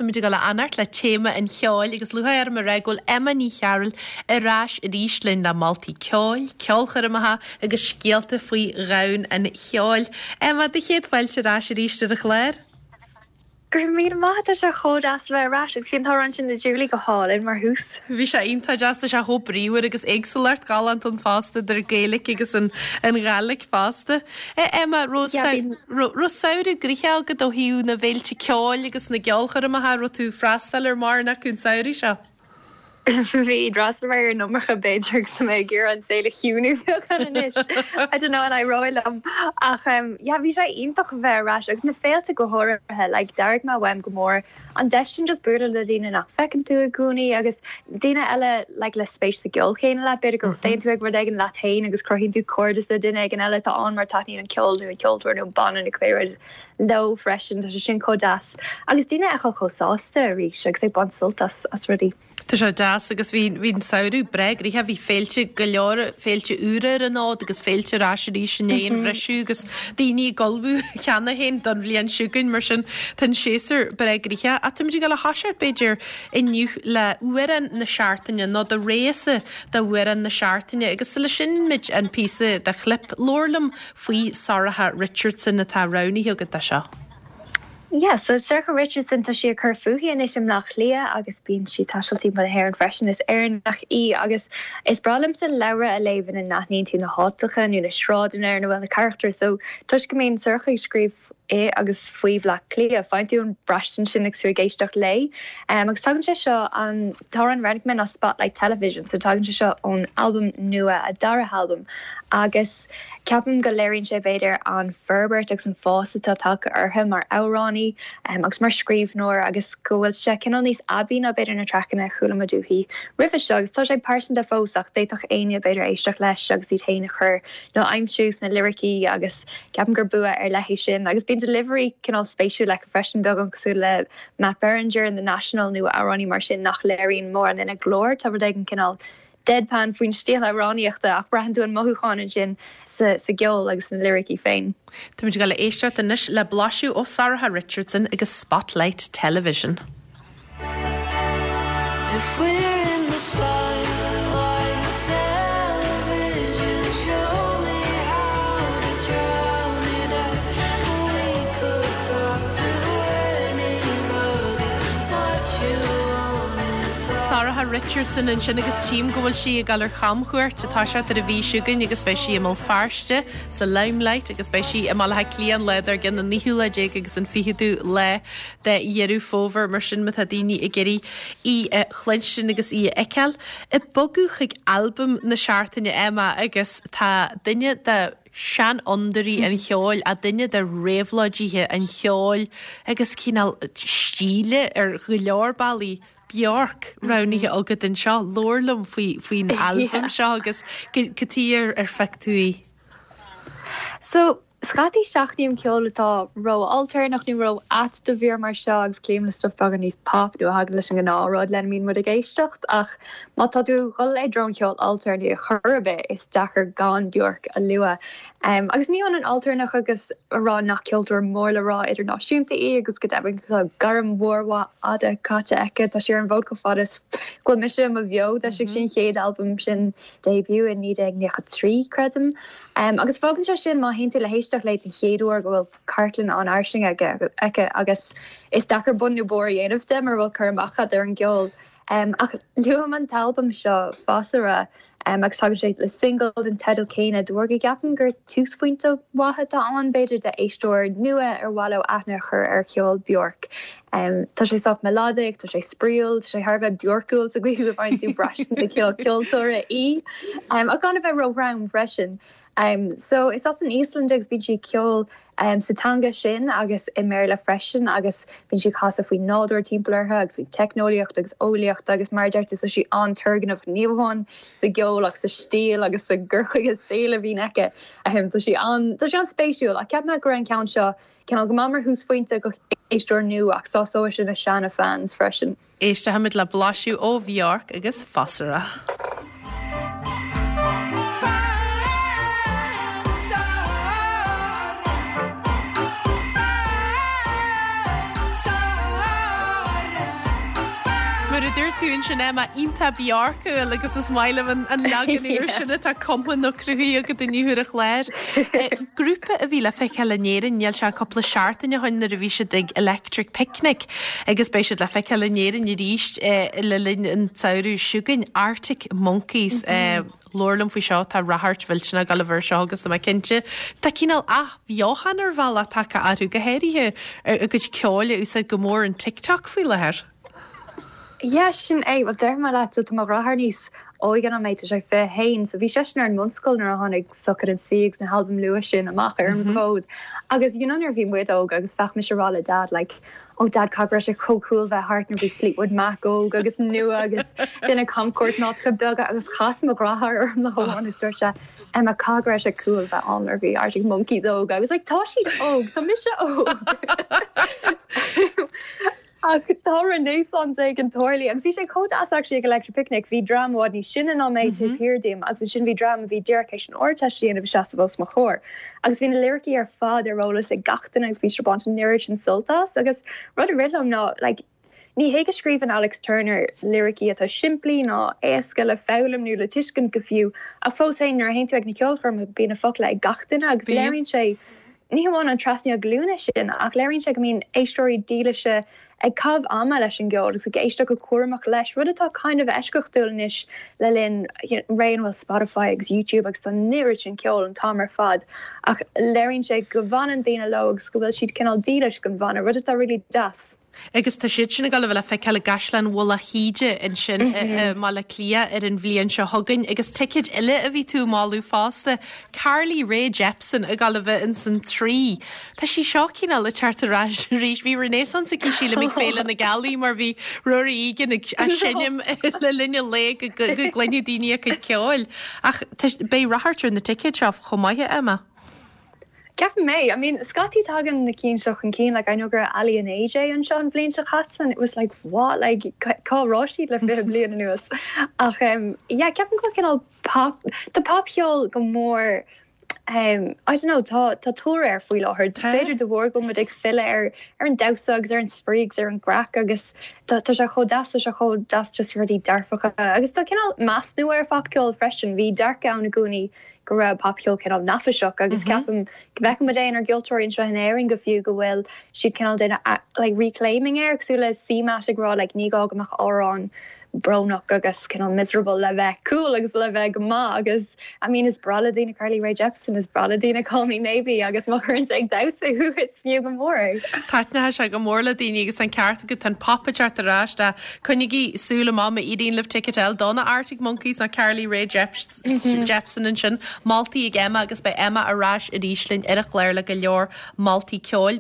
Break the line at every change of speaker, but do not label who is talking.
Táimid ag dul a fhanacht le téama an cheoil agus lúcháir orm a rá go bhfuil Emma Ní Chearúil ar ais arís linn le moltaí ceoil, ceolchoirmeacha agus scéalta faoi dhomhan an cheoil. Emma, do chéad fáilte ar ais arís ar an chlár.
Go raibh míle maith, tá sé chomh deas a bheith ar ais agus bhí an t-amhrán sin le Julie go hálainn mar thús.
Bhí sé iontach deas, tá sé chomh bríomhar agus éagsúlacht ghalánta ann fosta idir Gaeilge agus an Ghàidhlig fosta. Emma, raibh samhradh gnoitheach agat ó thaobh na bhféilte ceoil agus na gceolchoirmeacha, raibh tú ag freastal ar mórán acu an samhradh seo?
Bhí, d'fhreastail mé ar an iomarca b'fhéidir agus tá mé ag iarraidh an saol a chiúnú beagán anois. I don't know an éireoidh liom. Ach yeah, bhí sé iontach a bheith ar ais agus na féilte go háirithe, like d'airigh mé uaim go mór an deis sin just bualadh le daoine nach bhfeiceann tú i gcónaí agus daoine eile like le spéis sa gceol chéanna leat, b'fhéidir go dtéann tú ag rud éigin leat féin agus cruthaíonn tú cairdeas le duine éigin eile atá ann mar taitníonn an ceol nó an ceoltóir nó an banna nó cibé rud leo freisin, tá sé sin chomh deas. Agus daoine a fheiceáil chomh sásta arís agus ag baint sult as as rudaí.
Tá sé deas agus bhí bhí an samhradh breá gnoitheach, bhí féilte go leor, féilte úra ar an fhód agus féilte ar ais arís i ndiaidh an bhriseadh agus daoine ag ullmhú cheana féin don bhliain seo chugainn mar sin tá an séasúr breá gnoitheach. Ach táimid ag dul a thoiseacht b'fhéidir inniu le amhrán na seachtaine nó do rogha-sa d'amhrán na seachtaine agus sula seinnimid an píosa de chlip, labhair liom faoi Sorcha Richardson atá roghnaithe agat dó seo.
Yeah, so Sorcha Richardson, tá sí ag cur fúithi anois i mBleá Cliath agus bíonn sí ag taisteal timpeall na hÉireann freisin. Is Éireannach í agus is breá liomsa leabhra a léamh ina n-aithníonn tú na háiteacha nó na sráideanna ar ina bhfuil na carachtair. So toisc go mbíonn Sorcha ag scríobh i agus faoi Bhleá Cliath, faigheann tú an braistint sin agus tú ag éisteacht léi. Um, agus tagann sé seo an t-amhrán a roghnaigh mé ná Spotlight Television, so tagann sé seo ón albam nua, a dara halbam agus Ceapaim go léiríonn sé, b'fhéidir, an forbairt agus an fás atá tagtha uirthi mar amhránaí agus mar scríbhneoir agus go bhfuil sé cineál níos aibí ná b'fhéidir na traiceanna a chuala muid uaithi roimhe seo agus tá sé pearsanta fós ach d'fhéadfadh éinne b'fhéidir éisteacht leis agus iad féin a chur nó a aimsiú sna liricí agus ceapaim gur bua ar leith é sin agus bíonn delivery cineál spéisiúil aici freisin, beagán cosúil le Matt Berringer in The National nó amhránaí mar sin nach léiríonn mórán ina glór, tá rud éigin cineál deadpan faoin stíl amhránaíochta ach braitheann tú an mothúchán ansin sa gceol agus sna liricí féin.
Táimid ag dul a éisteacht anois le blaiseadh ó Sorcha Richardson agus Spotlight Television. If we're in the spotlight television show me how to drown it out We could talk to anybody what you wanna talk Sorcha Richardson ansin agus tchím go bhfuil sí ag dul ar chamchuairt ag toiseacht ar an mhí seo chugainn agus beidh sí i mBéal Feirste sa Limelight agus beidh sí i mBaile Átha Cliath an lá dár gcionn an naoú lá déag agus an fichiú lá de Dheireadh Fómhair mar sin má tá daoine ag iarraidh í a chluinstin agus í a fheiceáil. Ag bogadh chuig albam na seachtaine Emma agus tá duine de seanfhondúirí an cheoil, a duine de réabhlóidithe an cheoil agus cineál stíle ar go leor bealaí, Bjork, roghnaithe agat anseo. Labhair liom faoi faoin albam seo agus cad chuige ar ar phioc tú í.
So, scaití seachnaím ceol atá ró-ailtéarnach nó ró-ait do mhír mar seo agus cloím le stuif beagán níos pop nó a thagann leis an ngnáthrud lena mbíonn muid ag éisteacht ach má tá tú ag dul i dtreo an cheoil ailtéarnaigh ar chor ar bith is deacair gan Bjork a lua. Agus ní hionann ailtéarnach agus a rá nach ceoltóir mór le rá idirnáisiúnta í agus go deimhin tá gairm mhór mhaith fhada caite aici. Tá sí ar an bhfód chomh fada is go bhfuil mise i mo bheo. D'eisigh sí an chéad albam sin, Debut, i 1993, creidim. Agus fágann sé sin, má théann tú le héisteacht léi den chéad uair, go bhfuil cartlann an-fhairsing aici agus is deacair bun nó barr a dhéanamh de mura bhfuil cur amach agat ar an gceol. Ach luaim an t-albam seo, Fossora, agus tagann sé le singil den teideal céanna de bharr go gceapaim gur túsphointe mhaith atá ann, b'fhéidir, d'éisteoir nua ar mhaith leo aithne a chur ar cheol Bjork. Tá sé sách melodic, tá sé spraíúil, tá sé thar a bheith Bjorkúil sa gcaoi go bhfaigheann tú braistint de chineál ceoltóra í, ach gan a bheith róthrom freisin. So is as an Íoslainn di agus bíonn sí ag ceol sa teanga sin agus i mBéarla freisin agus bíonn sí ag casadh faoin nádúr timpeall uirthi agus faoin teicneolaíocht agus eolaíocht agus mar a deir tú tá sí an-turgnamhach ní amháin sa gceol ach sa stíl agus sa gcur chuige saoil a bhíonn aici. Tá sí an tá sí an-spéisiúil ach cheap mé go raibh an ceann seo cineál go maith mar thúsphointe do éisteoir nua ach sásóidh sé na seana fans freisin.
Éistfimid le blaiseadh ó Bhjork agus Fossora.
Mar a dúirt tú ansin Emma, iontach Bjorkúil agus is maith liom an leagan úr sin atá cumtha nó cruthaithe agat inniu ar an chlár. Grúpa a bhí le feiceáil in Éirinn, níl sé ach cúpla seachtain ó shin nuair a bhí siad ag Electric Picnic agus beidh siad le feiceáil in Éirinn arís le linn an tsamhraidh seo chugainn, Arctic Monkeys. Labhair liom faoi seo, tá ráchairt mhillteanach ag dul air seo agus tá mé cinnte, tá cineál athbheochan ar bhealach tagtha orthu, go háirithe a gcuid ceoil a úsáid go mór an TikTok faoi láthair.
Yeah, sin é. Bhuel, déarfaidh mé leat, so tá mo dheartháir níos óige ná mé, tá sé 21, so bhí seisean ar an mbunscoil nuair a tháinig Suck It and See agus na halbaim luath sin amach ar an bhfód. Agus you know nuair a bhí muid óg agus bheadh mise ag rá le Dad like, oh Dad caithfidh go raibh sé chomh cool bheith thart nuair bhí Fleetwood Mac óg agus nua agus duine camchuairt in áiteacha beaga agus chas mo dheartháir orm lá amháin agus dúirt sé Emma caithfidh go raibh sé cool bheith ann nuair bhí Arctic Monkeys óg. I was like tá siad óg, tá mise óg. Ach tá renaissance éigin tarlaithe agus bhí sé chomh deas actually ag Electric Picnic, bhí dream i bhfad níos sine ná mé taobh thiar díom agus ansin bhí dream a bhí díreach théis an Ardteist a dhéanamh ag seasamh os mo chomhair. Agus bhí na liricí ar fad ar eolas ag gach duine agus bhí siad ag baint an oiread sin sult as agus rud a rith liom ná like ní hé go scríobhann Alex Turner liricí atá simplí ná éasca le foghlaim nó le tuiscint go fiú ach fós féin nuair a théann tú ag na ceolchoirmeacha bíonn na focla ag gach duine agus léiríonn sé Ní hamháin an trasnaíl glúine sin, ach léiríonn sé go mbíonn éisteoirí dílise ag caitheamh ama leis an gceol agus ag éisteacht go cúramach leis, rud atá kind of eisceachtúil anois le linn ré ina bhfuil Spotify agus YouTube agus tá an oiread sin ceoil an t-am ar fad. Ach léiríonn sé go bhfanann daoine leo agus go bhfuil siad cineál dílis don bhanna, rud atá really deas.
Agus tá siad sin ag dul a bheith le feiceáil i gCaisleán Mhullach Íde ansin i mBaile Átha Cliath ar an bhliain seo chugainn. Agus ticéid eile a bhí tú ag moladh fosta, Carly Rae Jepsen ag dul a bheith ins an Tree. Tá sí seo cineál ag teacht ar ais arís. Bhí renaissance aici sílim ag Féile na Gealaí mar bhí Ruairí Egan ag seinm le linn an lae go gcluinfeadh daoine a cuid ceoil. Ach beidh ráchairt ar na ticéid seo chomh maith, a Emma.
Ceapaim é. I mean, scaití tagann na cinn seo chun cinn, like I know go raibh Aly and AJ anseo an bhliain seo caite and it was like what, like cá raibh siad le 20 bliain anuas? Ach um, yeah, ceapaim go bhfuil cineál pop, tá popcheol go mór um, I don't know, tá, tá tóir air faoi láthair. Tá. B'fhéidir de bharr go bhfuil muid ag filleadh ar, ar an damhsa agus ar an spraoi agus ar an gcraic agus tá, tá sé chomh deas, tá sé chomh deas just rudaí dearfacha agus tá cineál meas nua ar phopcheol freisin. Bhí dearcadh ann i gcónaí go raibh popcheol cineál neafaiseach agus ceapaim go bhfeiceann muid é inár gceoltóirí anseo in Éirinn go fiú go bhfuil siad cineál déanamh like reclaiming air cosúil le CMAT ag rá like ní gá go mbeadh amhrán brónach agus cineál miserable le bheith cool agus le bheith go maith agus I mean is breá le daoine Carly Rae Jepsen is breá le daoine Call Me Maybe agus má chuireann sé ag damhsa thú is fiú go mór é.
Taitneoidh sé go mór le daoine agus an ceart agat tá an pop ag teacht ar ais tá coinnigí súil amach má éiríonn libh ticket a fháil do na Arctic Monkeys nó Carly Rae Jepsen. Jepsen ansin, moltaí ag Emma agus beidh Emma ar ais arís linn ar an chlár le go leor moltaí ceoil.